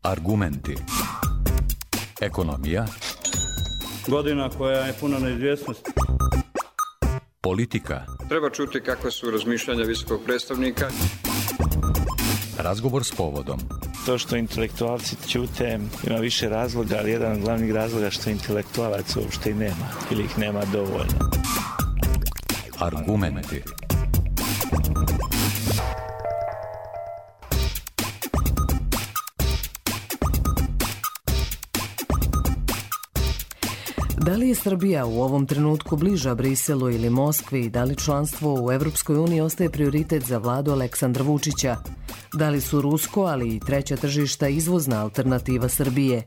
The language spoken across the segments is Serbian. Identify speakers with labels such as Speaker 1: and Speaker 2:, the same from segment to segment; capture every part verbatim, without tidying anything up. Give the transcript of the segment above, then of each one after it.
Speaker 1: Argumenti. Ekonomija.
Speaker 2: Godina koja je puna neizvjesnosti.
Speaker 1: Politika.
Speaker 3: Treba čuti kakva su razmišljanja visokog predstavnika.
Speaker 1: Razgovor s povodom.
Speaker 4: To što intelektualci ćute ima više razloga, ali jedan od glavnih razloga što intelektualaca uopšte i nema ili ih nema dovoljno.
Speaker 1: Argumenti.
Speaker 5: Da li je Srbija u ovom trenutku bliža Briselu ili Moskvi i da li članstvo u Evropskoj uniji ostaje prioritet za vladu Aleksandra Vučića? Da li su rusko, ali i treća tržišta izvozna alternativa Srbije?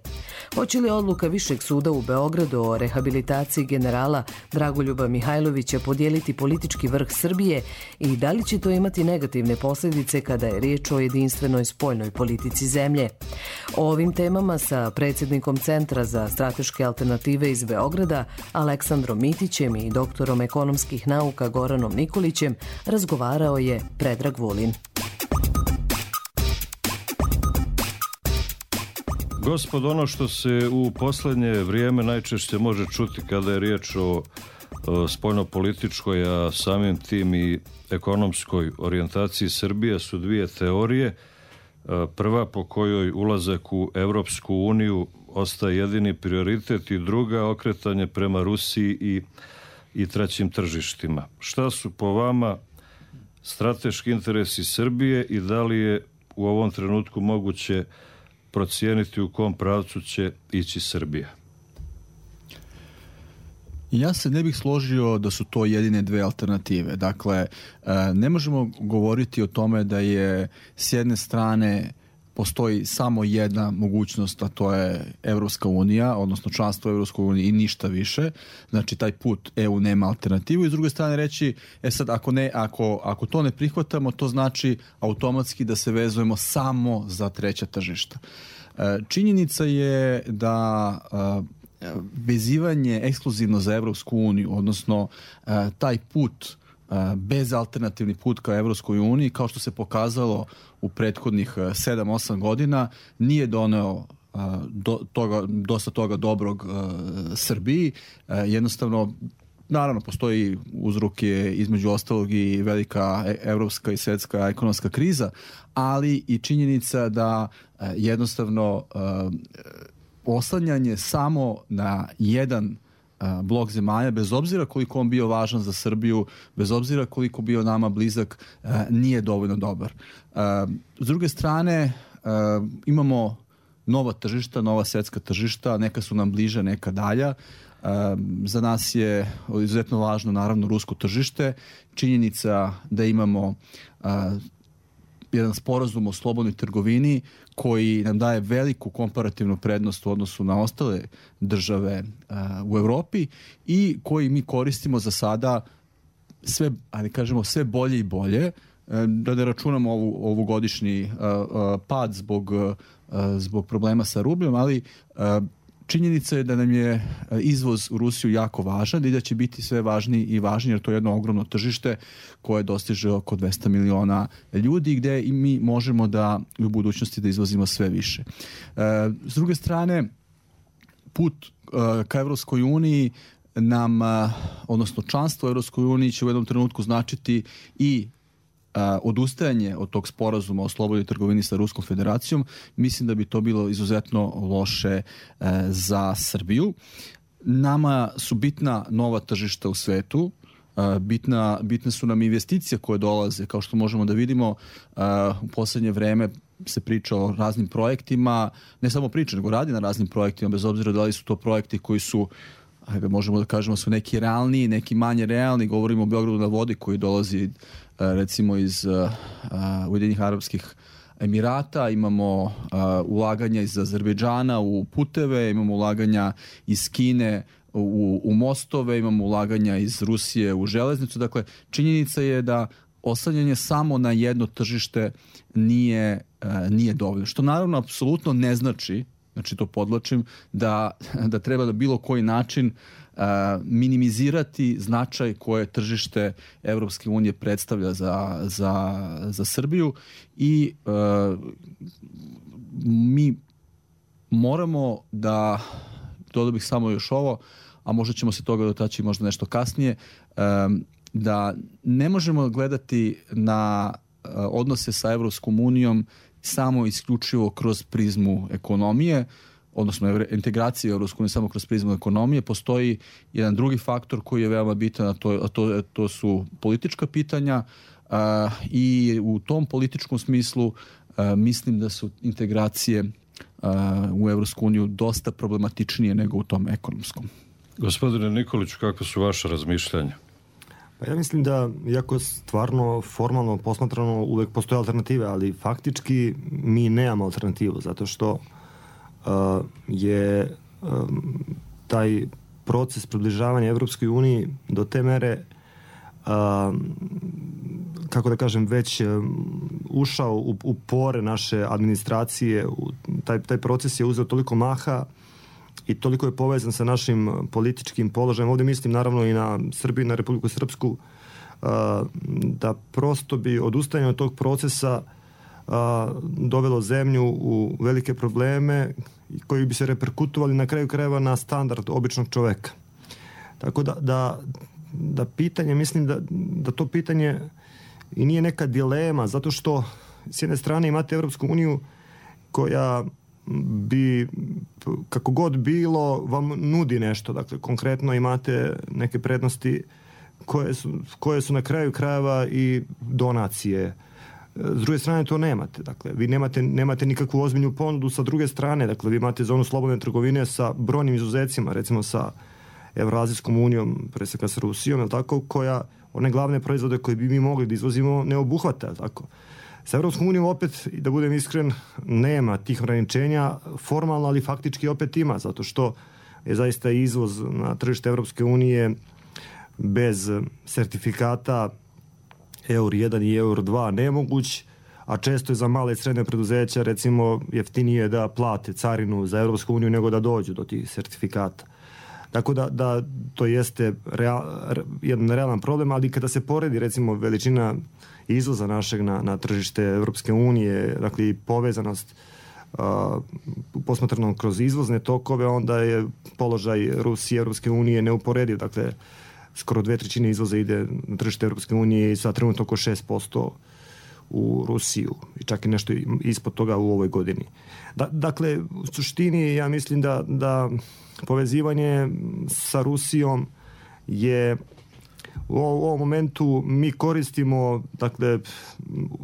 Speaker 5: Hoće li odluka Višeg suda u Beogradu o rehabilitaciji generala Dragoljuba Mihajlovića podijeliti politički vrh Srbije i da li će to imati negativne posljedice kada je riječ o jedinstvenoj spoljnoj politici zemlje? O ovim temama sa predsjednikom Centra za strateške alternative iz Beograda, Aleksandrom Mitićem i doktorom ekonomskih nauka Goranom Nikolićem razgovarao je Predrag Vulin.
Speaker 6: Gospod, ono što se u poslednje vrijeme najčešće može čuti kada je riječ o, o spoljnopolitičkoj, a samim tim i ekonomskoj orijentaciji Srbije su dvije teorije. Prva po kojoj ulazak u Evropsku uniju ostaje jedini prioritet i druga okretanje prema Rusiji i, i trećim tržištima. Šta su po vama strateški interesi Srbije i da li je u ovom trenutku moguće procijeniti u kom pravcu će ići Srbija?
Speaker 7: Ja se ne bih složio da su to jedine dve alternative. Dakle, ne možemo govoriti o tome da je s jedne strane postoji samo jedna mogućnost, a to je Evropska unija, odnosno članstvo u Evropskoj uniji i ništa više. Znači, taj put E U nema alternativu. I s druge strane reći, e sad, ako, ne, ako, ako to ne prihvatamo, to znači automatski da se vezujemo samo za treća tržišta. Činjenica je da vezivanje ekskluzivno za Evropsku uniju, odnosno taj put, bezalternativni put ka Evropskoj uniji, kao što se pokazalo u prethodnih sedam osam godina, nije doneo do, toga, dosta toga dobrog Srbiji. Jednostavno, naravno, postoji uzroke između ostalog i velika evropska i svjetska ekonomska kriza, ali i činjenica da jednostavno oslanjanje samo na jedan blok zemalja, bez obzira koliko on bio važan za Srbiju, bez obzira koliko bio nama blizak, nije dovoljno dobar. S druge strane, imamo nova tržišta, nova svjetska tržišta, neka su nam bliža, neka dalja. Za nas je izuzetno važno, naravno, rusko tržište. Činjenica da imamo jedan sporazum o slobodnoj trgovini koji nam daje veliku komparativnu prednost u odnosu na ostale države uh, u Evropi i koji mi koristimo za sada sve, ali kažemo, sve bolje i bolje, uh, da ne računamo ovu, ovu godišnji uh, uh, pad zbog, uh, zbog problema sa rubljom, ali uh, činjenica je da nam je izvoz u Rusiju jako važan i da će biti sve važniji i važniji, jer to je jedno ogromno tržište koje dostiže oko dvesta miliona ljudi, gde i mi možemo da u budućnosti da izvozimo sve više. S druge strane, put ka Evropskoj uniji nam, odnosno članstvo u Evropskoj uniji će u jednom trenutku značiti i odustajanje od tog sporazuma o slobodnoj trgovini sa Ruskom federacijom. Mislim da bi to bilo izuzetno loše za Srbiju. Nama su bitna nova tržišta u svetu, bitna, bitne su nam investicije koje dolaze, kao što možemo da vidimo u poslednje vreme se priča o raznim projektima, ne samo priča, nego radi na raznim projektima, bez obzira da li su to projekti koji su, ajde, možemo da kažemo, su neki realniji, neki manje realni. Govorimo o Beogradu na vodi koji dolazi recimo iz uh, Ujedinjenih Arapskih Emirata, imamo uh, ulaganja iz Azerbejdžana u puteve, imamo ulaganja iz Kine u, u mostove, imamo ulaganja iz Rusije u železnicu. Dakle, činjenica je da oslanjanje samo na jedno tržište nije, uh, nije dovoljno. Što naravno apsolutno ne znači, znači to podlačim, da, da treba da bilo koji način uh, minimizirati značaj koje tržište Evropske unije predstavlja za, za, za Srbiju i uh, mi moramo da, dodao bih samo još ovo, a možda ćemo se toga dotaći možda nešto kasnije, um, da ne možemo gledati na uh, odnose sa Evropskom unijom samo isključivo kroz prizmu ekonomije, odnosno integracije u Evropsku uniju samo kroz prizmu ekonomije. Postoji jedan drugi faktor koji je veoma bitan, a to, a to, to su politička pitanja uh, i u tom političkom smislu uh, mislim da su integracije uh, u Evropsku uniju dosta problematičnije nego u tom ekonomskom.
Speaker 6: Gospodine Nikoliću, kako su vaše razmišljanja?
Speaker 1: Pa ja mislim da, iako stvarno formalno posmatrano uvek postoje alternative, ali faktički mi nemamo alternativu, zato što uh, je um, taj proces približavanja Evropskoj uniji do te mere uh, kako da kažem, već um, ušao u, u pore naše administracije. U, taj, taj proces je uzeo toliko maha i toliko je povezan sa našim političkim položajem. Ovdje mislim naravno i na Srbiju, na Republiku Srpsku, da prosto bi odustajanje od tog procesa dovelo zemlju u velike probleme koji bi se reperkutovali na kraju krajeva na standard običnog čoveka. Tako da, da, da pitanje, mislim da, da to pitanje i nije neka dilema, zato što s jedne strane imate Evropsku uniju koja bi, kako god bilo, vam nudi nešto. Dakle, konkretno imate neke prednosti koje su, koje su na kraju krajeva i donacije. S druge strane to nemate. Dakle, vi nemate, nemate nikakvu ozbiljnu ponudu sa druge strane. Dakle, vi imate zonu slobodne trgovine sa brojnim izuzecima, recimo sa Evroazijskom unijom, pre svega sa Rusijom, je tako, koja one glavne proizvode koje bi mi mogli da izvozimo ne obuhvata, tako. Sa Evropskom unijom opet, da budem iskren, nema tih ograničenja formalno, ali faktički opet ima, zato što je zaista izvoz na tržište Evropske unije bez sertifikata Eur jedan i Eur dva nemoguć, a često je za male i srednje preduzeća recimo jeftinije da plate carinu za Evropsku uniju nego da dođu do tih sertifikata. Tako da, da to jeste real, jedan realan problem, ali kada se poredi recimo veličina izvoza našeg na, na tržište Evropske unije, dakle i povezanost uh, posmatrano kroz izvozne tokove, onda je položaj Rusije i Evropske unije neuporediv. Dakle, skoro dve trećine izvoza ide na tržište Evropske unije i sad trenutno oko šest posto u Rusiju i čak i nešto ispod toga u ovoj godini. Da, dakle, u suštini ja mislim da, da povezivanje sa Rusijom je u ovom momentu mi koristimo, dakle,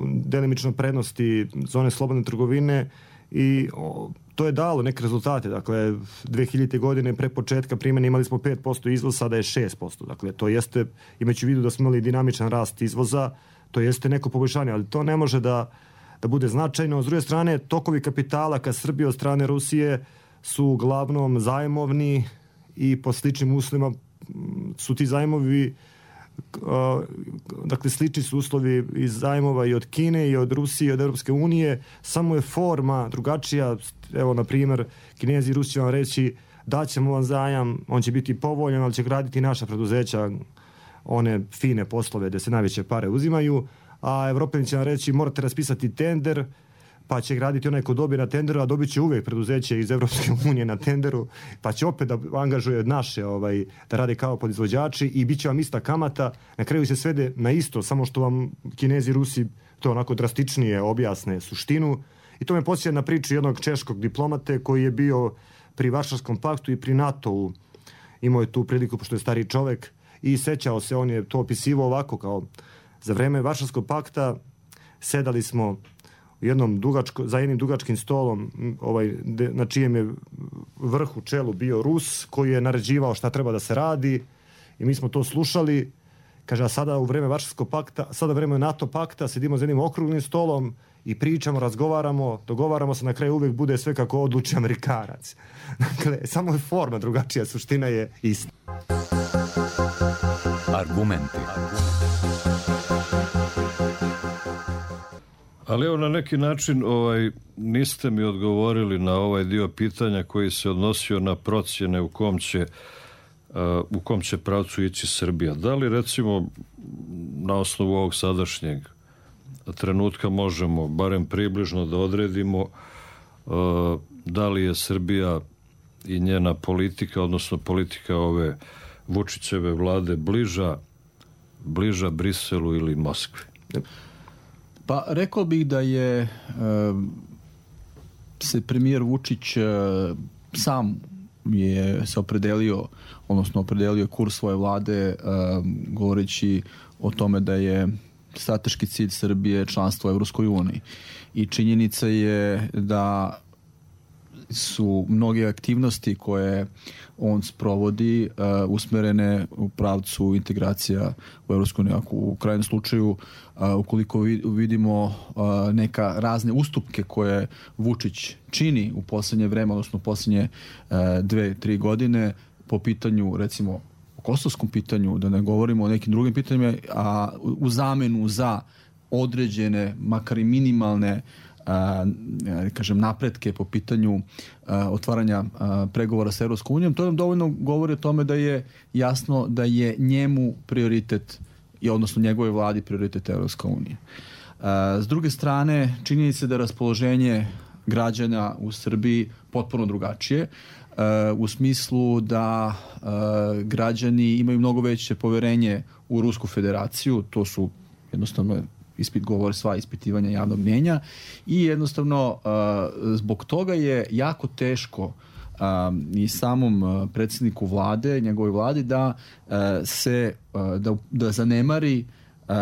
Speaker 1: delimično prednosti zone slobodne trgovine i o, to je dalo neke rezultate. Dakle, dve hiljadite godine pre početka primjene imali smo pet posto izvoza, sada je šest posto. Dakle, to jeste, imajući u vidu da smo imali dinamičan rast izvoza, to jeste neko poboljšanje, ali to ne može da, da bude značajno. S druge strane, tokovi kapitala ka Srbiji od strane Rusije su uglavnom zajmovni i po sličnim uslovima su ti zajmovi, uh, dakle slični su uslovi iz zajmova i od Kine i od Rusije i od Europske unije, samo je forma drugačija. Evo, na primjer, Kinezi i Rusi će vam reći daćemo vam zajam, on će biti povoljan, ali će graditi naša preduzeća, one fine poslove gde se najveće pare uzimaju, a Evropljani će vam reći morate raspisati tender, pa će graditi onaj ko dobije na tenderu, a dobit će uvijek preduzeće iz Evropske unije na tenderu, pa će opet da angažuje naše, ovaj, da rade kao podizvođači i bit će vam ista kamata. Na kraju se svede na isto, samo što vam Kinezi i Rusi to onako drastičnije objasne suštinu. I to me podsjeća na priču jednog češkog diplomate koji je bio pri Varšavskom paktu i pri NATO-u. Imao je tu priliku, pošto je stari čovek, i sećao se, on je to opisivao ovako, kao za vreme Varšavskog pakta sedali smo u jednom dugačko, za jednim dugačkim stolom, ovaj, de, na čijem je vrhu čelu bio Rus, koji je naređivao šta treba da se radi i mi smo to slušali. Kaže, a sada u vreme Varšavskog pakta, sada u vreme NATO pakta sedimo za jednim okruglim stolom i pričamo, razgovaramo, dogovaramo se, na kraju uvijek bude sve kako odluči Amerikanac. Dakle, samo je forma drugačija, suština je ista.
Speaker 8: Argumenti.
Speaker 6: Ali evo, na neki način ovaj, niste mi odgovorili na ovaj dio pitanja koji se odnosio na procjene u kom će, uh, u kom će pravcu ići Srbija. Da li recimo na osnovu ovog sadašnjeg trenutka možemo barem približno da odredimo uh, da li je Srbija i njena politika, odnosno politika ove Vučićeve vlade bliža, bliža Briselu ili Moskvi?
Speaker 7: Pa rekao bih da je e, se premijer Vučić e, sam je se opredelio, odnosno opredelio kurs svoje vlade e, govoreći o tome da je strateški cilj Srbije članstvo u Evropskoj uniji. I činjenica je da su mnoge aktivnosti koje on sprovodi uh, usmerene u pravcu integracija u Evropsku uniju. Ako u krajnjem slučaju, uh, ukoliko vidimo uh, neka razne ustupke koje Vučić čini u poslednje vreme, odnosno u poslednje uh, dve, tri godine po pitanju, recimo, o kosovskom pitanju, da ne govorimo o nekim drugim pitanjima, a u zamenu za određene, makar i minimalne A, kažem, napretke po pitanju a, otvaranja a, pregovora sa Evropskom unijom, to nam dovoljno govori o tome da je jasno da je njemu prioritet, i odnosno njegove vladi prioritet Evropska unija. A, s druge strane, čini se da raspoloženje građana u Srbiji potpuno drugačije, a, u smislu da a, građani imaju mnogo veće poverenje u Rusku federaciju, to su jednostavno ispit govori sva ispitivanja javnog mnjenja i jednostavno uh, zbog toga je jako teško uh, i samom uh, predsjedniku vlade, njegovoj vladi da uh, se uh, da, da zanemari uh,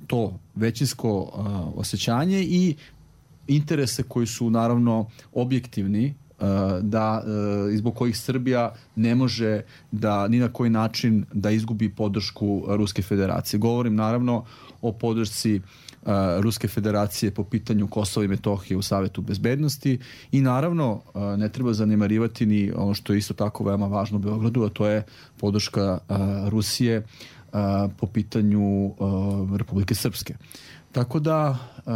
Speaker 7: to većinsko uh, osjećanje i interese koji su naravno objektivni, uh, da uh, zbog kojih Srbija ne može da ni na koji način da izgubi podršku Ruske federacije. Govorim naravno o podršci Uh, Ruske federacije po pitanju Kosova i Metohije u Savetu bezbednosti i naravno uh, ne treba zanemarivati ni ono što je isto tako veoma važno u Beogradu, a to je podrška uh, Rusije uh, po pitanju uh, Republike Srpske. Tako da uh,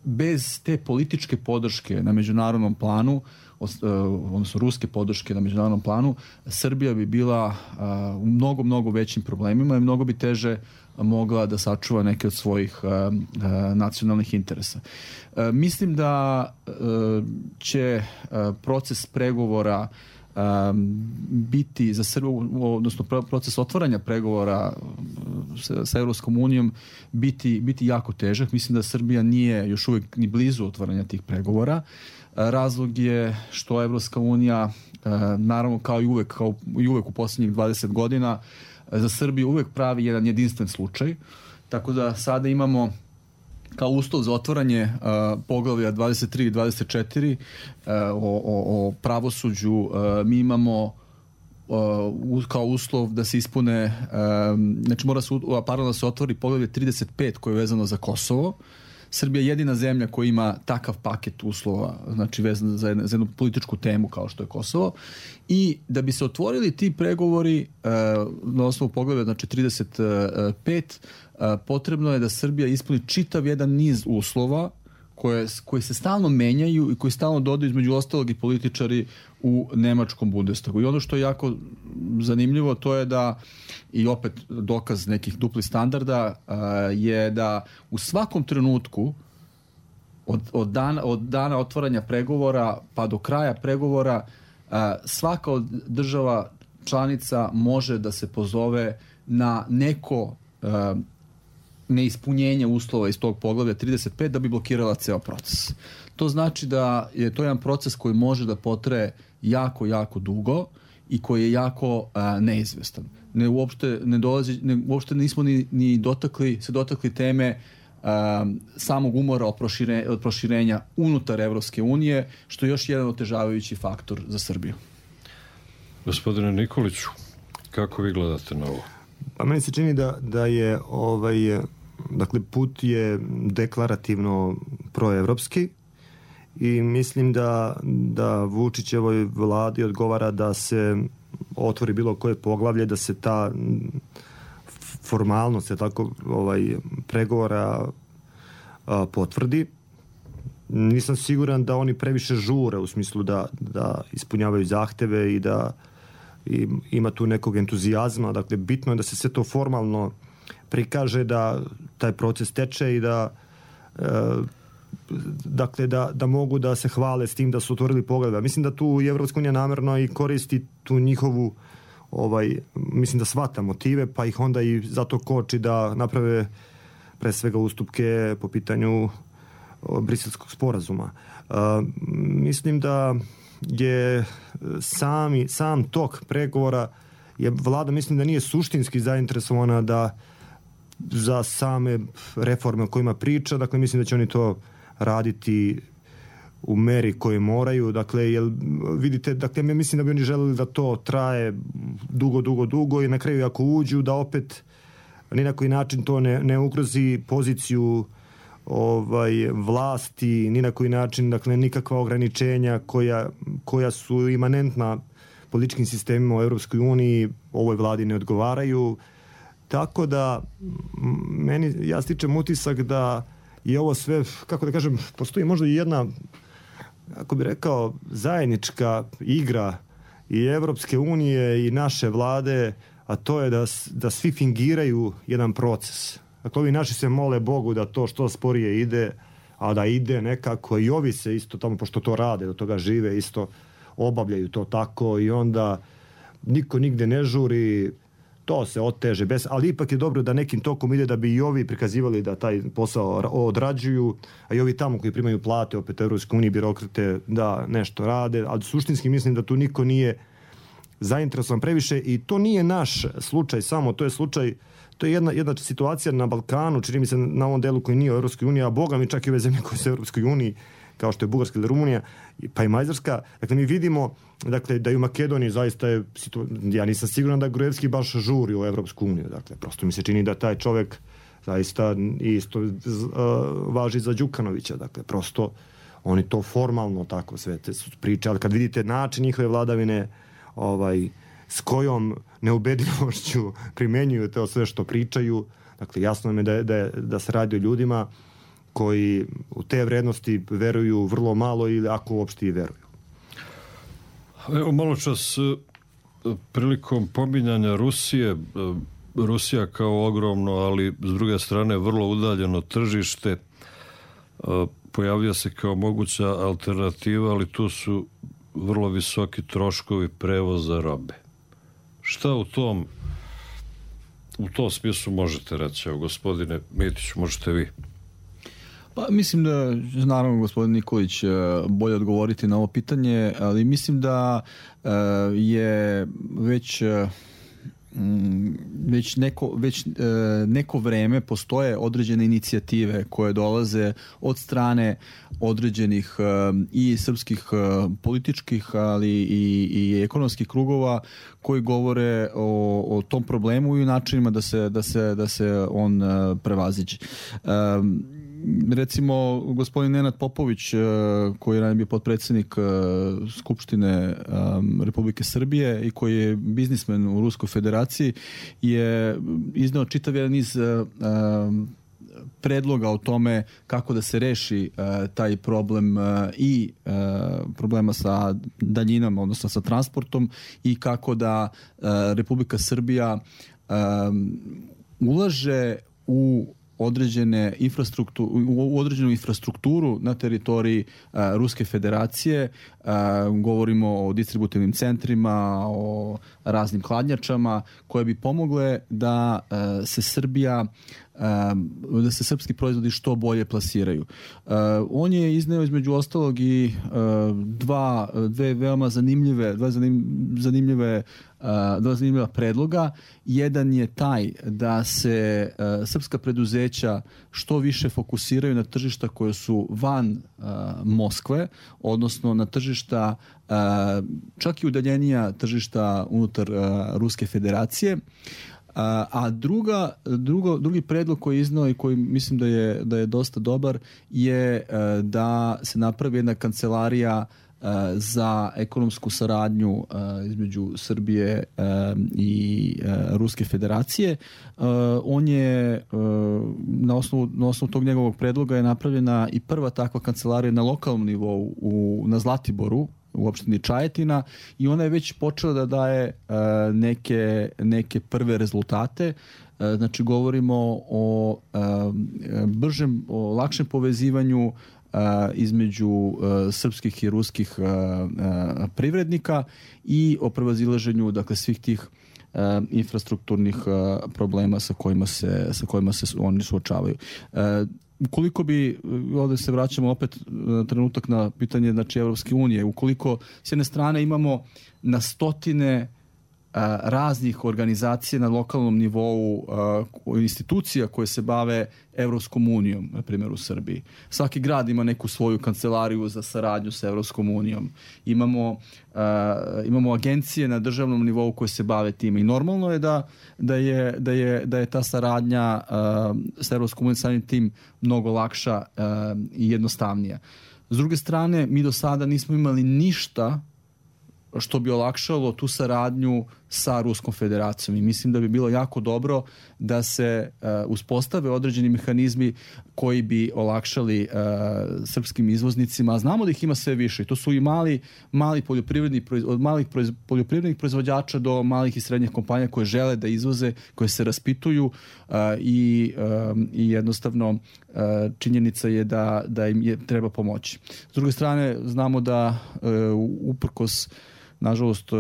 Speaker 7: bez te političke podrške na međunarodnom planu, odnosno ruske podrške na međunarodnom planu, Srbija bi bila uh, u mnogo, mnogo većim problemima i mnogo bi teže mogla da sačuva neke od svojih uh, uh, nacionalnih interesa. Uh, mislim da uh, će uh, proces pregovora um, biti za Srbiju, odnosno proces otvaranja pregovora sa, sa Evropskom unijom biti, biti jako težak. Mislim da Srbija nije još uvijek ni blizu otvaranja tih pregovora. Razlog je što Evropska unija, naravno kao i uvek, kao i uvek u posljednjih dvadeset godina, za Srbiju uvek pravi jedan jedinstven slučaj. Tako da sada imamo kao uslov za otvaranje uh, poglavlja dvadeset tri i dvadeset četiri uh, o, o, o pravosuđu, uh, mi imamo uh, kao uslov da se ispune, uh, znači mora se, paralelno da se otvori poglavlje trideset pet koje je vezano za Kosovo. Srbija je jedina zemlja koja ima takav paket uslova, znači vezan za, za jednu političku temu kao što je Kosovo. I da bi se otvorili ti pregovori uh, na osnovu poglavlja, znači trideset pet, uh, potrebno je da Srbija ispuni čitav jedan niz uslova koje, koji se stalno menjaju i koji stalno dodaju između ostalog i političari u nemačkom Bundestagu. I ono što je jako zanimljivo to je da, i opet dokaz nekih duplih standarda, uh, je da u svakom trenutku od, od, dana, od dana otvaranja pregovora pa do kraja pregovora uh, svaka od država članica može da se pozove na neko uh, neispunjenje uslova iz tog poglavlja trideset pet da bi blokirala ceo proces. To znači da je to jedan proces koji može da potraje jako, jako dugo i koji je jako a, neizvestan. Ne uopšte ne dolazi, ne, uopšte nismo ni, ni dotakli, se dotakli teme a, samog umora od proširenja, od proširenja unutar Evropske unije, što je još jedan otežavajući faktor za Srbiju.
Speaker 6: Gospodine Nikoliću, kako vi gledate na ovo?
Speaker 1: Pa meni se čini da, da je ovaj, dakle, put je deklarativno proevropski i mislim da, da Vučićevoj vladi odgovara da se otvori bilo koje poglavlje, da se ta formalnost je tako ovaj, pregovora a, potvrdi. Nisam siguran da oni previše žure u smislu da, da ispunjavaju zahteve i da i ima tu nekog entuzijazma. Dakle, bitno je da se sve to formalno prikaže, da taj proces teče i da e, dakle da, da mogu da se hvale s tim da su otvorili pogleda. Mislim da tu i Evropska unija namerno i koristi tu njihovu ovaj, mislim da shvata motive, pa ih onda i zato koči da naprave pre svega ustupke po pitanju Briselskog sporazuma. Uh, mislim da je sami, sam tok pregovora je vlada, mislim da nije suštinski zainteresovana da za same reforme o kojima priča, dakle mislim da će oni to raditi u meri koje moraju, dakle jel vidite, dakle ja mislim da bi oni želeli da to traje dugo, dugo, dugo i na kraju ako uđu da opet ni na koji način to ne, ne ugrozi poziciju ovaj vlasti, ni na koji način, dakle nikakva ograničenja koja, koja su imanentna političkim sistemima u Europskoj uniji ovoj vladi ne odgovaraju. Tako da meni, ja stičem utisak da je ovo sve, kako da kažem, postoji možda i jedna, kako bi rekao, zajednička igra i Evropske unije i naše vlade, a to je da, da svi fingiraju jedan proces. Dakle, ovi naši se mole Bogu da to što sporije ide, a da ide nekako i ovi se isto tamo, pošto to rade, do toga žive, isto obavljaju to tako i onda niko nigde ne žuri, to se oteže, bez, ali ipak je dobro da nekim tokom ide da bi i ovi prikazivali da taj posao odrađuju, a i ovi tamo koji primaju plate, opet Evropske unije, birokrate, da nešto rade, ali suštinski mislim da tu niko nije zainteresovan previše i to nije naš slučaj samo, to je slučaj, to je jedna, jedna situacija na Balkanu, čini mi se na ovom delu koji nije u Evropskoj uniji, a boga mi čak i ove zemlje koje su u Evropskoj uniji, kao što je Bugarska ili Rumunija, pa i Mađarska. Dakle, mi vidimo dakle, da i u Makedoniji zaista je, ja nisam siguran da Gruevski baš žuri u Evropsku uniju. Dakle, prosto mi se čini da taj čovek zaista isto uh, važi za Đukanovića. Dakle, prosto oni to formalno tako sve te priče, ali kad vidite način njihove vladavine, ovaj, s kojom neubedljivošću primenjuju to sve što pričaju, dakle, jasno mi je da, da, da se radi o ljudima koji u te vrednosti veruju vrlo malo ili ako uopšte i veruju.
Speaker 6: Evo malo čas prilikom pominjanja Rusije, Rusija kao ogromno, ali s druge strane vrlo udaljeno tržište, pojavlja se kao moguća alternativa, ali tu su vrlo visoki troškovi prevoza robe. Šta u tom u tom smislu možete reći? Evo, gospodine Mitiću, možete vi.
Speaker 7: Pa mislim da, naravno, gospodin Nikolić bolje odgovoriti na ovo pitanje, ali mislim da je već već neko, već neko vreme postoje određene inicijative koje dolaze od strane određenih i srpskih političkih, ali i, i ekonomskih krugova koji govore o, o tom problemu i o načinima da se, da se, da se on prevaziđe. Recimo, gospodin Nenad Popović, koji je ranije bio potpredsjednik Skupštine Republike Srbije i koji je biznismen u Ruskoj federaciji, je izneo čitav jedan niz predloga o tome kako da se reši taj problem i problema sa daljinom, odnosno sa transportom, i kako da Republika Srbija ulaže u određene infrastrukturu, u određenu infrastrukturu na teritoriji uh, Ruske federacije. Uh, govorimo o distributivnim centrima, o raznim hladnjačama koje bi pomogle da uh, se Srbija uh, da se srpski proizvodi što bolje plasiraju. Uh, on je izneo između ostalog i uh, dva, dve veoma zanimljive, dva zanim, zanimljive dva zanimljiva predloga. Jedan je taj da se uh, srpska preduzeća što više fokusiraju na tržišta koje su van uh, Moskve, odnosno na tržišta uh, čak i udaljenija tržišta unutar uh, Ruske federacije. A druga, drugo, drugi predlog koji je iznao i koji mislim da je, da je dosta dobar je uh, da se napravi jedna kancelarija za ekonomsku saradnju uh, između Srbije uh, i uh, Ruske federacije. Uh, on je uh, na osnovu, na osnovu tog njegovog predloga je napravljena i prva takva kancelarija na lokalnom nivou u, na Zlatiboru u opštini Čajetina i ona je već počela da daje uh, neke, neke prve rezultate. Znači, govorimo o bržem, o lakšem povezivanju između srpskih i ruskih privrednika i o prevazilaženju, dakle, svih tih infrastrukturnih problema sa kojima se, sa kojima se oni suočavaju. Ukoliko bi, ovdje se vraćamo opet trenutak na pitanje, znači, Evropske unije, ukoliko s jedne strane imamo na stotine raznih organizacija na lokalnom nivou, institucija koje se bave Evropskom unijom, na primjer u Srbiji. Svaki grad ima neku svoju kancelariju za saradnju sa Evropskom unijom. Imamo, uh, imamo agencije na državnom nivou koje se bave time i normalno je da, da, je, da, je, da je ta saradnja uh, sa Evropskom unijom samim tim mnogo lakša uh, i jednostavnija. S druge strane, mi do sada nismo imali ništa što bi olakšalo tu saradnju sa Ruskom federacijom i mislim da bi bilo jako dobro da se uh, uspostave određeni mehanizmi koji bi olakšali uh, srpskim izvoznicima. Znamo da ih ima sve više i to su i mali, mali poljoprivredni, od malih proiz, poljoprivrednih proizvođača do malih i srednjih kompanija koje žele da izvoze, koje se raspituju uh, i, uh, i jednostavno uh, činjenica je da, da im je, treba pomoći. S druge strane, znamo da uh, uprkos nažalost,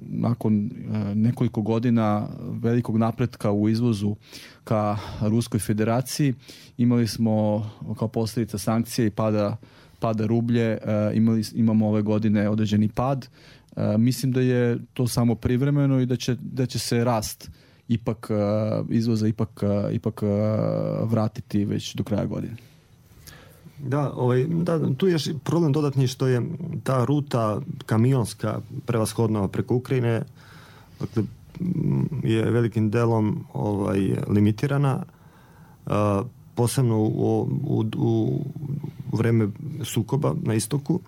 Speaker 7: nakon nekoliko godina velikog napretka u izvozu ka Ruskoj federaciji, imali smo kao posljedica sankcije i pada, pada rublje, imali, imamo ove godine određeni pad. Mislim da je to samo privremeno i da će, da će se rast ipak izvoza ipak, ipak vratiti već do kraja godine.
Speaker 1: Da, ovaj, da, tu je još problem dodatni što je ta ruta kamionska prevashodno preko Ukrajine, dakle, je velikim delom ovaj, limitirana, a, posebno u, u, u vreme sukoba na istoku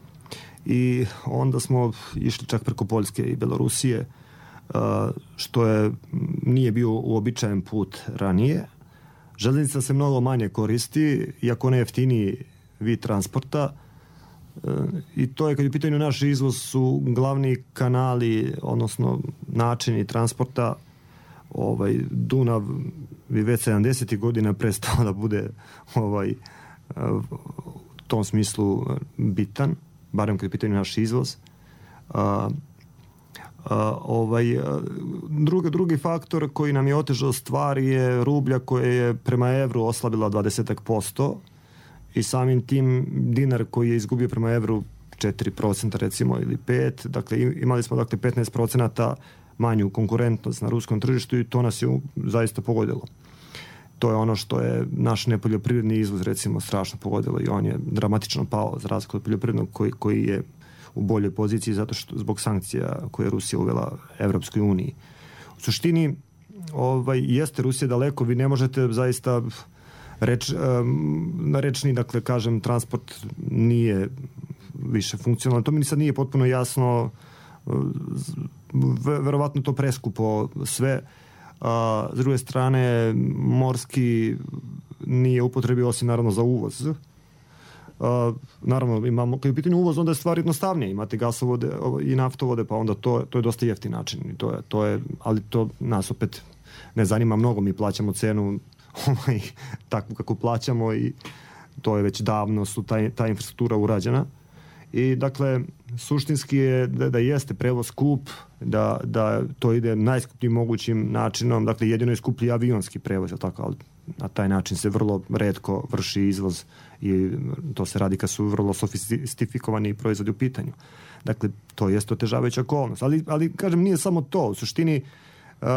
Speaker 1: i onda smo išli čak preko Poljske i Belorusije, a, što je nije bio uobičajen put ranije. Železnica se mnogo manje koristi, iako ne jeftiniji vid transporta. E, I to je, kad je u pitanju naš izvoz, su glavni kanali, odnosno načini transporta. Ovaj, Dunav bi već sedamdesetih godina prestao da bude ovaj, u tom smislu bitan, barem kad je u pitanju naš izvoz. A, a, ovaj, drugi, drugi faktor koji nam je otežao stvari je rublja koje je prema evru oslabila dvadeset posto i samim tim dinar koji je izgubio prema evru četiri procenta recimo ili pet, dakle imali smo dakle petnaest procenata manju konkurentnost na ruskom tržištu i to nas je zaista pogodilo. To je ono što je naš nepoljoprivredni izvoz recimo strašno pogodilo i on je dramatično pao za razliku od poljoprivrednog koji, koji je u boljoj poziciji zato što zbog sankcija koje je Rusija uvela Evropskoj uniji. U suštini ovaj, jeste Rusija daleko, vi ne možete zaista reč, na rečni, dakle, kažem, transport nije više funkcionalan. To mi sad nije potpuno jasno, verovatno to preskupo sve. A, s druge strane, morski nije upotrebio osim naravno za uvoz. A, naravno, imamo, kad je u pitanju uvoz, onda je stvar jednostavnije. Imate gasovode i naftovode, pa onda to, to je dosta jeftin način. I to je, to je, ali to nas opet ne zanima mnogo. Mi plaćamo cenu ovaj, takvu kako plaćamo i to je već davno su ta, ta infrastruktura urađena. I dakle, suštinski je da, da jeste prevoz skup, da, da to ide najskupljim mogućim načinom, dakle jedino je skuplji avionski prevoz, tako, ali na taj način se vrlo retko vrši izvoz i to se radi kad su vrlo sofistifikovani proizvodi u pitanju. Dakle, to jeste otežavajuća okolnost. Ali, ali kažem, nije samo to. U suštini, uh,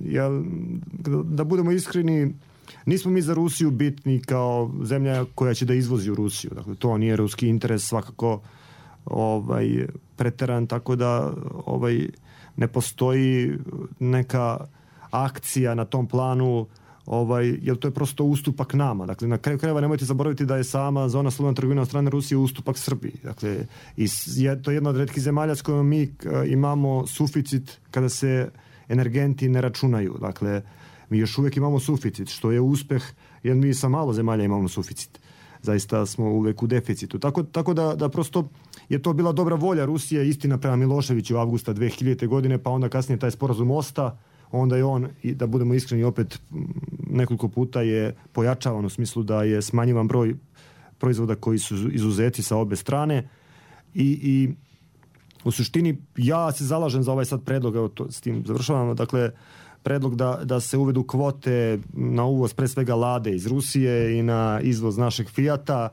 Speaker 1: jel, da budemo iskreni, nismo mi za Rusiju bitni kao zemlja koja će da izvozi u Rusiju. Dakle, to nije ruski interes svakako ovaj, preteran, tako da ovaj, ne postoji neka akcija na tom planu, ovaj, jer to je prosto ustupak nama. Dakle, na kraju krajeva nemojte zaboraviti da je sama zona slobodne trgovine od strane Rusije ustupak Srbiji. Dakle, i je to jedna od retkih zemalja s kojom mi imamo suficit kada se energenti ne računaju. Dakle, mi još uvijek imamo suficit, što je uspeh, jer mi sa malo zemalja imamo suficit. Zaista smo uvijek u deficitu. Tako, tako da, da prosto je to bila dobra volja Rusije, istina prema Miloševiću avgusta dve hiljadite godine, pa onda kasnije taj sporazum Mosta onda je on, i da budemo iskreni, opet nekoliko puta je pojačavan u smislu da je smanjivan broj proizvoda koji su izuzeti sa obe strane i, i u suštini ja se zalažem za ovaj sad predlog, evo to s tim završavamo, dakle predlog da, da se uvedu kvote na uvoz pre svega Lade iz Rusije i na izvoz našeg Fijata.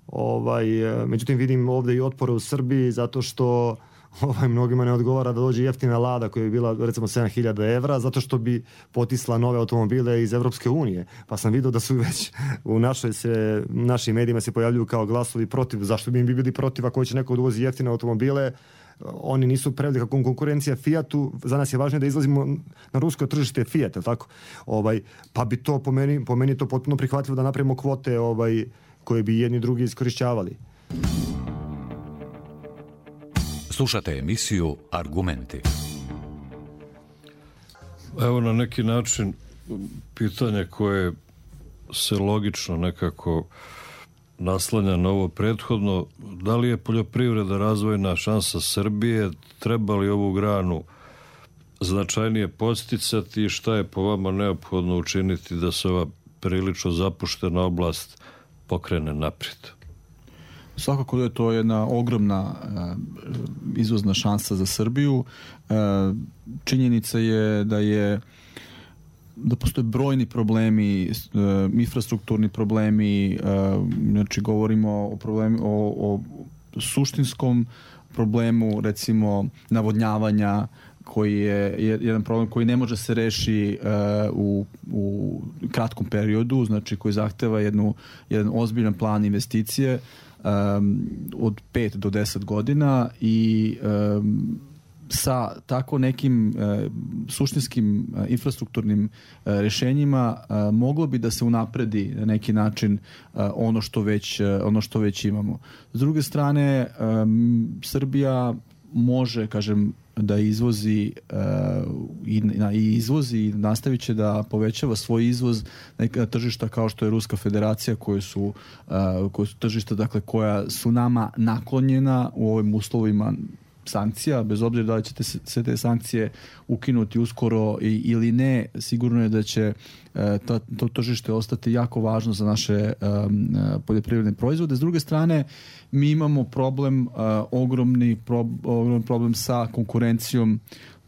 Speaker 1: Ovaj, međutim vidim ovdje i otpore u Srbiji zato što ovaj, mnogima ne odgovara da dođe jeftina Lada koja bi bila recimo sedam hiljada evra zato što bi potisla nove automobile iz Evropske unije. Pa sam vidio da su već u našoj se, našim medijima se pojavljuju kao glasovi protiv. Zašto bi im bili protiv ako će neko uvozi jeftine automobile? Oni nisu prevelika konkurencija Fijatu, za nas je važno da izlazimo na rusko tržište Fijat, tako? Ovaj, pa bi to po meni, po meni to potpuno prihvatljivo da napravimo kvote ovaj, koje bi jedni drugi iskorišćavali.
Speaker 8: Slušate emisiju Argumenti.
Speaker 6: Evo na neki način pitanje koje se logično nekako naslanja na ovo prethodno. Da li je poljoprivreda razvojna šansa Srbije? Treba li ovu granu značajnije podsticati i šta je po vama neophodno učiniti da se ova prilično zapuštena oblast pokrene naprijed?
Speaker 7: Svakako da je to jedna ogromna uh, izvozna šansa za Srbiju. Uh, činjenica je da je da postoje brojni problemi, uh, infrastrukturni problemi, uh, znači govorimo o, problemi, o, o suštinskom problemu, recimo navodnjavanja, koji je jedan problem koji ne može se reši uh, u, u kratkom periodu, znači koji zahteva jednu, jedan ozbiljan plan investicije um, od pet do deset godina i um, sa tako nekim uh, suštinskim uh, infrastrukturnim uh, rešenjima uh, moglo bi da se unapredi na neki način uh, ono što već, uh, ono što već imamo. S druge strane, um, Srbija može, kažem, da izvozi uh, i, na, i izvozi i nastavit će da povećava svoj izvoz neka tržišta kao što je Ruska federacija koje su, uh, koje su tržišta dakle, koja su nama naklonjena u ovim uslovima sankcija, bez obzira da li ćete se te sankcije ukinuti uskoro i, ili ne, sigurno je da će uh, ta, to tržište ostati jako važno za naše um, poljoprivredne proizvode. S druge strane, mi imamo problem, uh, ogromni pro, ogromni problem sa konkurencijom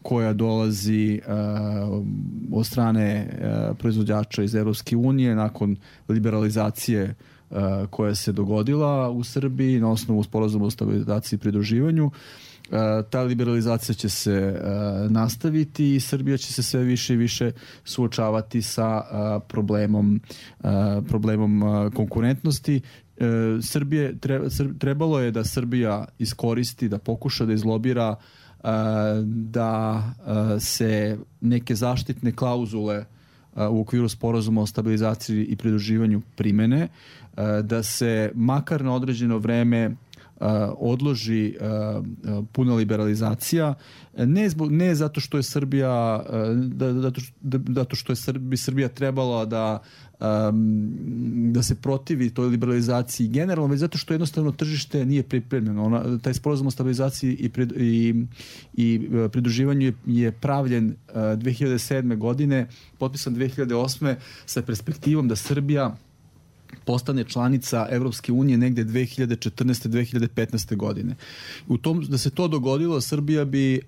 Speaker 7: koja dolazi uh, od strane uh, proizvođača iz Evropske unije nakon liberalizacije uh, koja se dogodila u Srbiji na osnovu sporazuma o stabilizaciji i pridruživanju. Uh, ta liberalizacija će se uh, nastaviti i Srbija će se sve više i više suočavati sa uh, problemom, uh, problemom uh, konkurentnosti. Uh, Srbije, tre, trebalo je da Srbija iskoristi, da pokuša da izlobira uh, da uh, se neke zaštitne klauzule uh, u okviru sporazuma o stabilizaciji i pridruživanju primene, uh, da se makar na određeno vreme Uh, odloži uh, uh, puna liberalizacija, ne, zbog, ne zato što je Srbija uh, da, da, da, zato što je Srbi, Srbija trebala da um, da se protivi toj liberalizaciji generalno, već zato što jednostavno tržište nije pripremljeno. Ona, taj sporazum o stabilizaciji i, prid, i, i pridruživanju je, je pravljen uh, dve hiljade sedme godine, potpisan dve hiljade osme sa perspektivom da Srbija postane članica Evropske unije negde dve hiljade četrnaeste do dve hiljade petnaeste godine. U tom, da se to dogodilo, Srbija bi e,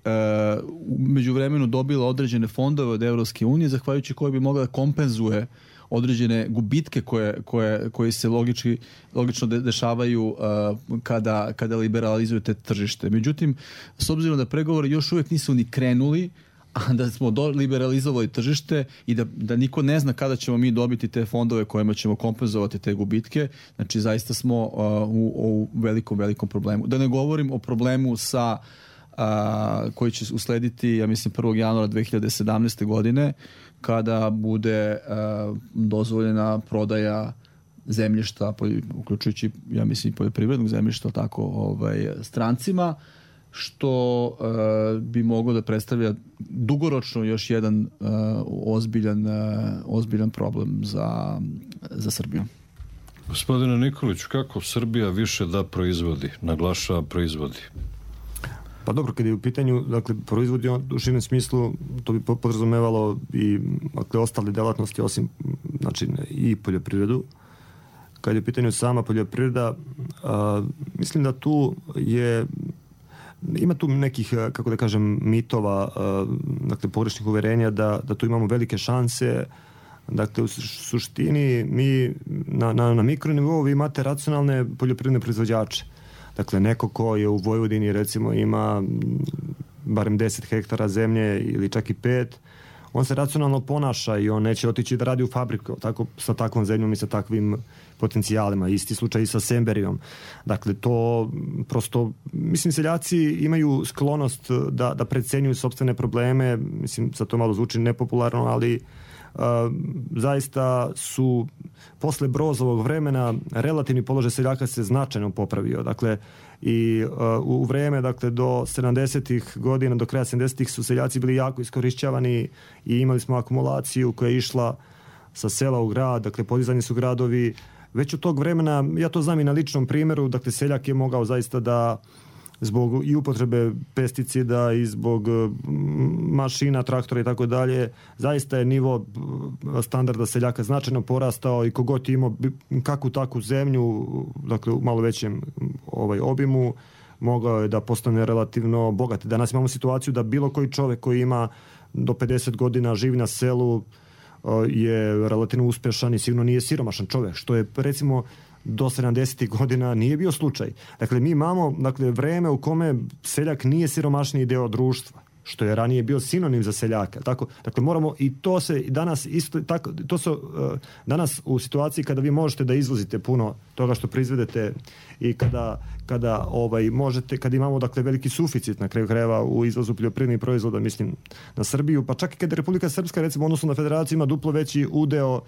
Speaker 7: u međuvremenu dobila određene fondove od Evropske unije, zahvaljujući koje bi mogla da kompenzuje određene gubitke koje, koje, koje se logički, logično de, dešavaju uh, kada, kada liberalizujete tržište. Međutim, s obzirom da pregovori još uvijek nisu ni krenuli, a da smo do, liberalizovali tržište i da, da niko ne zna kada ćemo mi dobiti te fondove kojima ćemo kompenzovati te gubitke, znači zaista smo uh, u, u velikom, velikom problemu. Da ne govorim o problemu sa uh, koji će uslediti, ja mislim, prvog januara dve hiljade sedamnaeste godine, kada bude uh, dozvoljena prodaja zemljišta, uključujući, ja mislim, poljoprivrednog zemljišta, tako, ovaj, strancima, što uh, bi moglo da predstavlja dugoročno još jedan uh, ozbiljan, uh, ozbiljan problem za, za Srbiju.
Speaker 6: Gospodine Nikoliću, kako Srbija više da proizvodi, naglašava proizvodi?
Speaker 1: Pa dobro, kad je u pitanju, dakle, proizvodi u širem smislu, to bi podrazumevalo i, dakle, ostale delatnosti osim, znači, i poljoprivredu. Kad je u pitanju sama poljoprivreda, a, mislim da tu je, ima tu nekih, kako da kažem, mitova, a, dakle, pogrešnih uverenja da, da tu imamo velike šanse. Dakle, u suštini mi na, na, na mikronivou vi imate racionalne poljoprivredne proizvođače. Dakle, neko ko je u Vojvodini, recimo, ima barem deset hektara zemlje ili čak i pet, on se racionalno ponaša i on neće otići da radi u fabriku tako, sa takvom zemljom i sa takvim potencijalima. Isti slučaj i sa Semberijom. Dakle, to prosto, mislim, seljaci imaju sklonost da, da precenjuju sopstvene probleme, mislim, sad to malo zvuči nepopularno, ali Uh, zaista su posle Brozovog vremena relativni položaj seljaka se značajno popravio. Dakle, i uh, u vreme, dakle, do sedamdesetih godina, do kraja sedamdesetih su seljaci bili jako iskorišćavani i imali smo akumulaciju koja je išla sa sela u grad, dakle, podizani su gradovi. Već od tog vremena, ja to znam i na ličnom primjeru, dakle, seljak je mogao zaista da zbog i upotrebe pesticida i zbog mašina, traktora i tako dalje, zaista je nivo standarda seljaka značajno porastao i kogod je imao kakvu takvu zemlju, dakle u malo većem ovaj, obimu, mogao je da postane relativno bogat. Danas imamo situaciju da bilo koji čovjek koji ima do pedeset godina, živi na selu, je relativno uspešan i sigurno nije siromašan čovjek, što je, recimo, do sedamdesetih godina nije bio slučaj. Dakle, mi imamo, dakle, vreme u kome seljak nije siromašniji deo društva, što je ranije bio sinonim za seljaka. Tako, dakle, moramo i to se danas isto tako, to su uh, danas u situaciji kada vi možete da izvozite puno toga što proizvedete i kada kada ovaj možete, kada imamo, dakle, veliki suficit na kraju krajeva u izvozu poljoprivrednih proizvoda, mislim na Srbiju, pa čak i kada Republika Srpska, recimo, odnosno na Federaciju, ima duplo veći udeo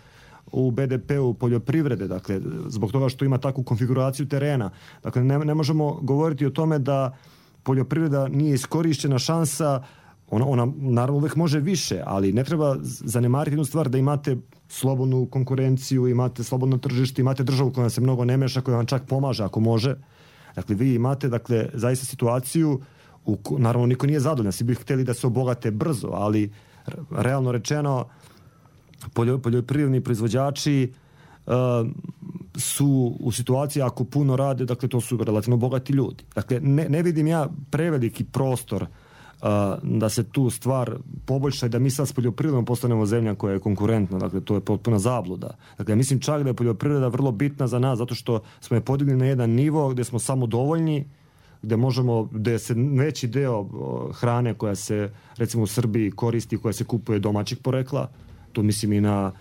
Speaker 1: u be de pe-u poljoprivrede, dakle, zbog toga što ima takvu konfiguraciju terena. Dakle, ne, ne možemo govoriti o tome da poljoprivreda nije iskorišćena šansa, ona, ona naravno uvek može više, ali ne treba zanemariti jednu stvar, da imate slobodnu konkurenciju, imate slobodno tržište, imate državu koja se mnogo ne meša, koja vam čak pomaže ako može. Dakle, vi imate, dakle, zaista situaciju, u, naravno niko nije zadovoljan, svi bi hteli da se obogate brzo, ali realno rečeno, poljoprivredni proizvođači uh, su u situaciji, ako puno rade, dakle, to su relativno bogati ljudi. Dakle, ne, ne vidim ja preveliki prostor uh, da se tu stvar poboljša i da mi sad s poljoprivredom postanemo zemlja koja je konkurentna. Dakle, to je potpuna zabluda. Dakle, mislim čak da je poljoprivreda vrlo bitna za nas, zato što smo je podigli na jedan nivo gde smo samo dovoljni, gde možemo, gde se veći deo hrane koja se, recimo, u Srbiji koristi, koja se kupuje domaćeg porekla, tu mislim i na,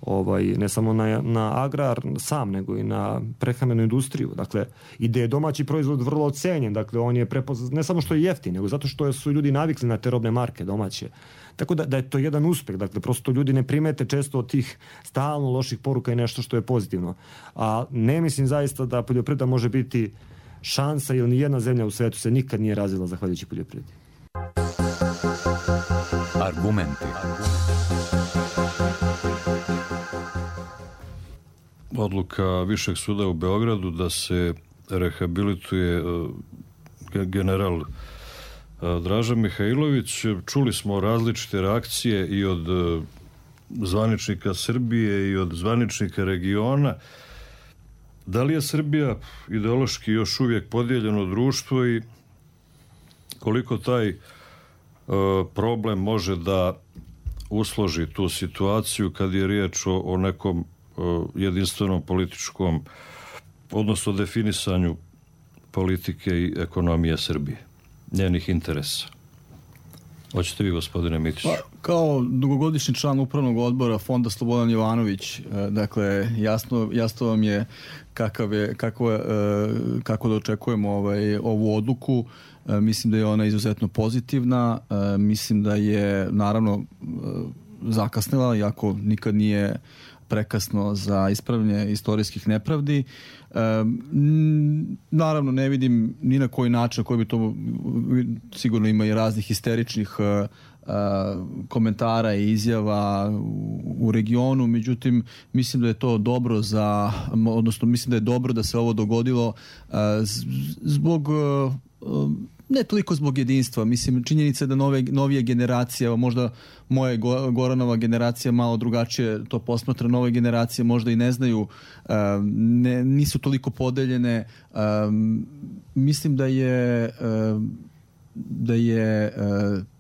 Speaker 1: ovaj, ne samo na, na agrar sam, nego i na prehrambenu industriju. Dakle, i da je domaći proizvod vrlo ocenjen, dakle, on je prepoznat, ne samo što je jeftin, nego zato što su ljudi navikli na te robne marke domaće. Tako da, da je to jedan uspeh, dakle, prosto ljudi ne primete često od tih stalno loših poruka i nešto što je pozitivno. A ne mislim zaista da poljoprivreda može biti šansa, jer ni jedna zemlja u svetu se nikad nije razvila zahvaljujući poljoprivredi.
Speaker 8: Argumenti.
Speaker 6: Odluka Višeg suda u Beogradu da se rehabilituje general Draža Mihajlović. Čuli smo različite reakcije i od zvaničnika Srbije i od zvaničnika regiona. Da li je Srbija ideološki još uvijek podijeljeno društvo i koliko taj problem može da usloži tu situaciju kad je riječ o, o nekom jedinstvenom političkom, odnosno definisanju politike i ekonomije Srbije, njenih interesa? Hoćete vi, gospodine Mitiću?
Speaker 7: Pa, kao dugogodišnji član upravnog odbora Fonda Slobodan Jovanović, dakle, jasno, jasno vam je kakav je, kako, kako da očekujemo ovaj, ovu odluku. Mislim da je ona izuzetno pozitivna. Mislim da je, naravno, zakasnila, iako nikad nije prekasno za ispravljanje istorijskih nepravdi. E, naravno, ne vidim ni na koji način koji bi to, sigurno ima i raznih histeričnih e, komentara i izjava u, u regionu, međutim, mislim da je to dobro za, odnosno mislim da je dobro da se ovo dogodilo e, zbog e, ne toliko zbog jedinstva, mislim, činjenica je da nove, novije generacije, možda moje Goranova generacija malo drugačije to posmatra, nove generacije možda i ne znaju, ne, nisu toliko podeljene. Mislim da je da je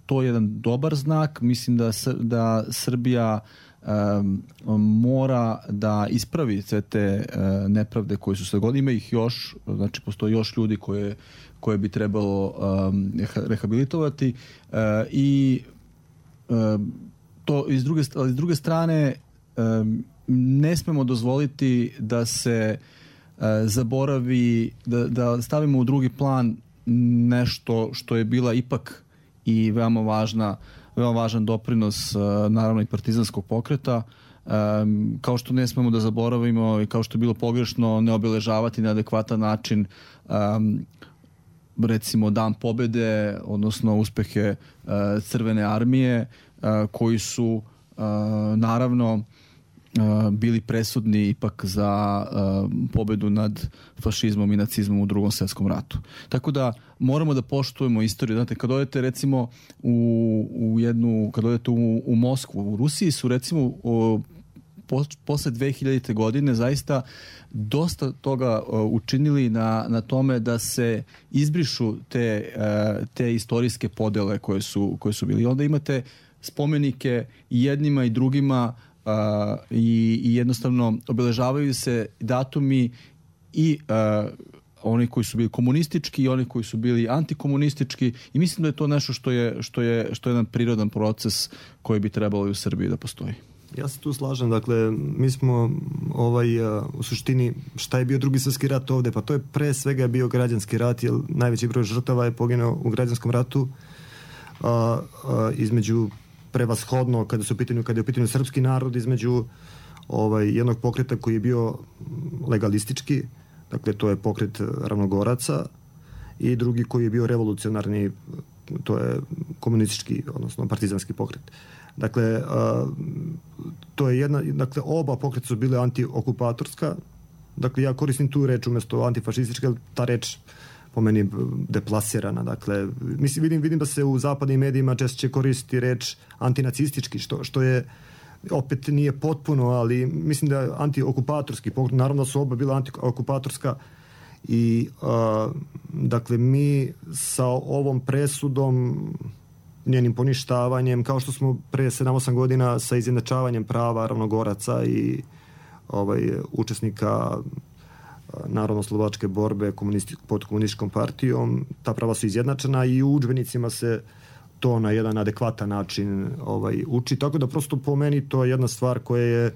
Speaker 7: to jedan dobar znak, mislim da, da Srbija mora da ispravi sve te nepravde koje su se godine, ima ih još, znači postoji još ljudi koje koje bi trebalo um, rehabilitovati uh, i um, to iz druge, ali s druge strane um, ne smemo dozvoliti da se uh, zaboravi, da, da stavimo u drugi plan nešto što je bila ipak i veoma važna, veoma važan doprinos uh, naravno i partizanskog pokreta. Um, kao što ne smemo da zaboravimo i kao što je bilo pogrešno ne obeležavati na adekvatan način um, recimo Dan pobede, odnosno uspehe uh, Crvene armije, uh, koji su uh, naravno uh, bili presudni ipak za uh, pobedu nad fašizmom i nacizmom u Drugom svjetskom ratu. Tako da moramo da poštujemo istoriju. Znate, kad odete recimo u, u jednu, kad odete u, u Moskvu, u Rusiji su recimo u, posle dve hiljadite godine zaista dosta toga uh, učinili na, na tome da se izbrišu te, uh, te istorijske podele koje su, koje su bili. Onda imate spomenike i jednima i drugima uh, i, i jednostavno obeležavaju se datumi i uh, oni koji su bili komunistički i oni koji su bili antikomunistički i mislim da je to nešto što je, što je, što je jedan prirodan proces koji bi trebalo i u Srbiji da postoji.
Speaker 1: Ja se tu slažem, dakle, mi smo ovaj, u suštini, šta je bio Drugi svjetski rat ovde? Pa to je pre svega bio građanski rat, jer najveći broj žrtava je poginuo u građanskom ratu, a, a, između prevashodno, kada su u pitanju, kada je u pitanju srpski narod, između ovaj, jednog pokreta koji je bio legalistički, dakle, to je pokret Ravnogoraca, i drugi koji je bio revolucionarni, to je komunistički, odnosno partizanski pokret. Dakle, uh, to je jedna, dakle, oba pokreta su bile antiokupatorska. Dakle, ja koristim tu reč umjesto antifašistička, ta reč po meni deplasirana. Dakle, mislim, vidim, vidim da se u zapadnim medijima češće koristi reč antinacistički, što, što je opet nije potpuno, ali mislim da je antiokupatorski pokret. Naravno su oba bila antiokupatorska i uh, dakle, mi sa ovom presudom, njenim poništavanjem, kao što smo pre sedam osam godina sa izjednačavanjem prava Ravnogoraca i ovaj, učesnika narodno-slovačke borbe komunisti, pod komunističkom partijom, ta prava su izjednačena i u udžbenicima se to na jedan adekvatan način ovaj, uči. Tako da prosto po meni to je jedna stvar koja je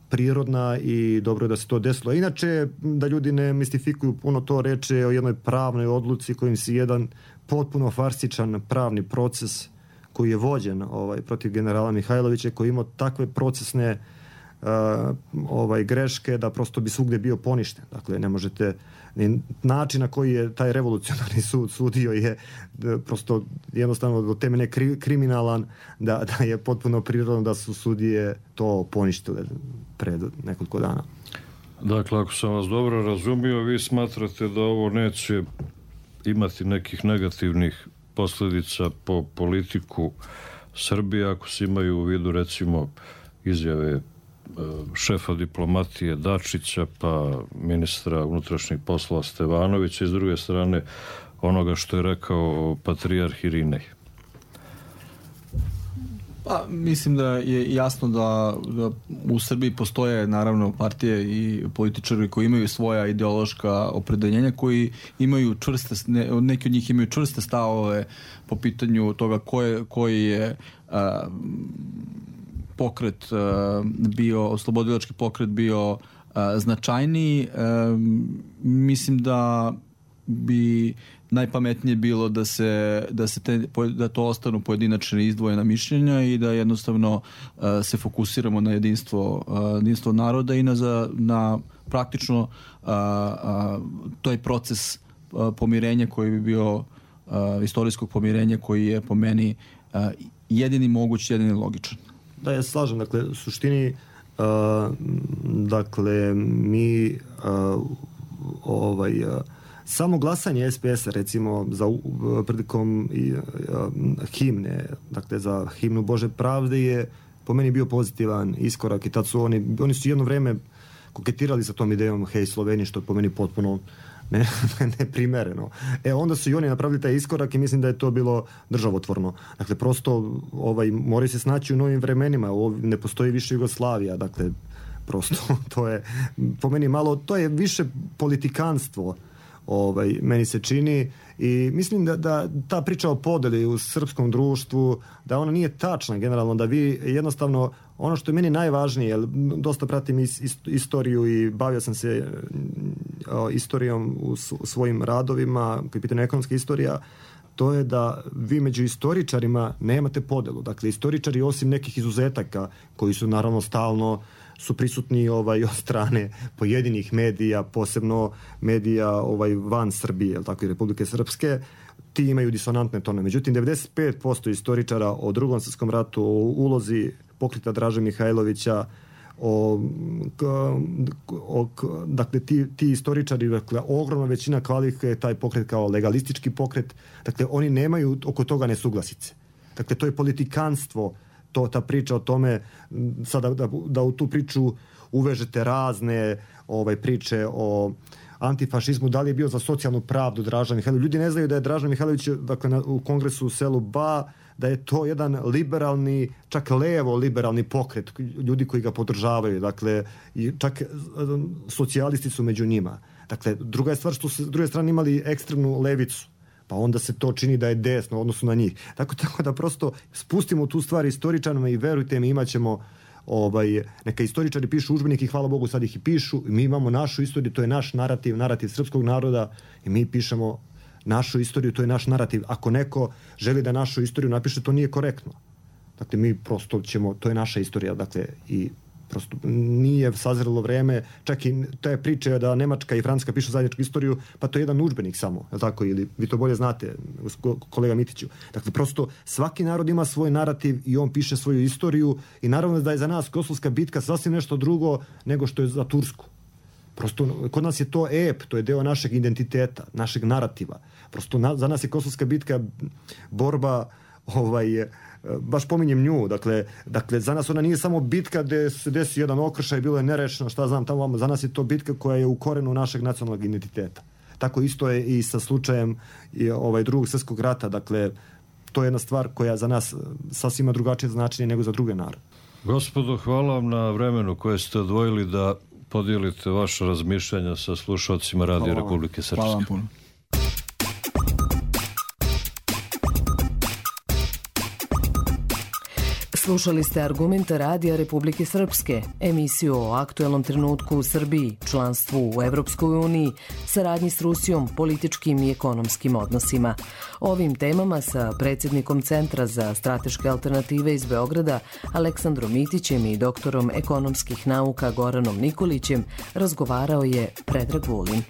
Speaker 1: prirodna i dobro je da se to desilo. Inače, da ljudi ne mistifikuju puno to, reče o jednoj pravnoj odluci kojim se jedan potpuno farsičan pravni proces koji je vođen ovaj, protiv generala Mihajlovića, koji imao takve procesne uh, ovaj, greške da prosto bi svugde bio poništen. Dakle, ne možete, način na koji je taj revolucionarni sud sudio je prosto jednostavno do temene kri, kriminalan, da, da je potpuno prirodno da su sudije to poništile pred nekoliko dana.
Speaker 6: Dakle, ako sam vas dobro razumio, vi smatrate da ovo neće imati nekih negativnih posljedica po politiku Srbije, ako se imaju u vidu recimo izjave šefa diplomatije Dačića, pa ministra unutrašnjih poslova Stevanovića i s druge strane onoga što je rekao patrijarh Irinej.
Speaker 7: Pa, mislim da je jasno da, da u Srbiji postoje naravno partije i političari koji imaju svoja ideološka opredeljenja, koji imaju čvrste, ne, neki od njih imaju čvrste stavove po pitanju toga koje, koji je a, pokret a, bio, oslobodilački pokret bio a, značajniji. A, mislim da bi najpametnije bilo da se da se te, da to ostanu pojedinačne izdvojena mišljenja i da jednostavno uh, se fokusiramo na jedinstvo uh, jedinstvo naroda i na za, na praktično uh, uh, taj proces uh, pomirenja koji bi bio uh, istorijskog pomirenja koji je po meni uh, jedini moguć, jedini logičan.
Speaker 1: Da, ja se slažem. Dakle, u suštini uh, dakle, mi uh, ovaj uh, samo glasanje es pe esa recimo za prilikom i, a, himne, dakle za himnu Bože pravde je po meni bio pozitivan iskorak i tad su oni, oni su jedno vreme koketirali sa tom idejom Hej Sloveniji, što je po meni potpuno ne, neprimereno. E onda su i oni napravili taj iskorak i mislim da je to bilo državotvorno. Dakle, prosto ovaj, moraju se snaći u novim vremenima, ne postoji više Jugoslavija, dakle, prosto to je po meni malo, to je više politikanstvo, ovaj, meni se čini, i mislim da, da ta priča o podeli u srpskom društvu, da ona nije tačna generalno, da vi jednostavno, ono što je meni najvažnije, jer dosta pratim is, ist, istoriju i bavio sam se o, istorijom u, u svojim radovima, koji je pitanje ekonomska istorija, to je da vi među istoričarima nemate podelu. Dakle, istoričari osim nekih izuzetaka koji su naravno stalno su prisutni ovaj od strane pojedinih medija, posebno medija ovaj van Srbije, jel tako, i Republike Srpske, ti imaju disonantne tone. Međutim, devedeset pet posto istoričara o Drugom svjetskom ratu, o ulozi pokreta Draže Mihajlovića, o, o dakle ti, ti istoričari, dakle ogromna većina kvalifikuje taj pokret kao legalistički pokret, dakle oni nemaju oko toga nesuglasice. Dakle, to je politikanstvo, to, ta priča o tome, sada da, da u tu priču uvežete razne ovaj, priče o antifašizmu, da li je bio za socijalnu pravdu Draža Mihajlović. Ljudi ne znaju da je Draža Mihajlović, dakle, na, u kongresu u selu Ba, da je to jedan liberalni, čak levo liberalni pokret, ljudi koji ga podržavaju, dakle, i čak socijalisti su među njima. Dakle, druga je stvar što su s druge strane imali ekstremnu levicu, pa onda se to čini da je desno u odnosu na njih. Tako, tako da prosto spustimo tu stvar istoričarima i verujte mi, imat ćemo ovaj, neka istoričari pišu udžbenike i hvala Bogu sad ih i pišu, i mi imamo našu istoriju, to je naš narativ, narativ srpskog naroda, i mi pišemo našu istoriju, to je naš narativ. Ako neko želi da našu istoriju napiše, to nije korektno. Dakle, mi prosto ćemo, to je naša istorija, dakle, i prosto nije sazrelo vreme, čak i te priče da Nemačka i Francuska pišu zajedničku istoriju, pa to je jedan udžbenik samo, je tako, ili vi to bolje znate, kolega Mitiću. Dakle, prosto svaki narod ima svoj narativ i on piše svoju istoriju, i naravno da je za nas Kosovska bitka sasvim nešto drugo nego što je za Tursku. Prosto, kod nas je to ep, to je deo našeg identiteta, našeg narativa. Prosto, na, za nas je Kosovska bitka borba, ovaj, baš pominjem nju, dakle, dakle, za nas ona nije samo bitka gde se desi jedan okršaj, bilo je nerešeno, šta znam, tamo, za nas je to bitka koja je u korenu našeg nacionalnog identiteta. Tako isto je i sa slučajem i, ovaj, Drugog svjetskog rata, dakle, to je jedna stvar koja za nas sasvim ima drugačije značenje nego za druge narode.
Speaker 6: Gospodo, hvala vam na vremenu koje ste odvojili da podijelite vaše razmišljanja sa slušalcima Radija Republike Srpske.
Speaker 7: Hvala vam puno.
Speaker 5: Slušali ste Argumente Radija Republike Srpske, emisiju o aktuelnom trenutku u Srbiji, članstvu u Evropskoj uniji, saradnji s Rusijom, političkim i ekonomskim odnosima. Ovim temama sa predsjednikom Centra za strateške alternative iz Beograda, Aleksandrom Mitićem, i doktorom ekonomskih nauka Goranom Nikolićem razgovarao je Predrag Vulin.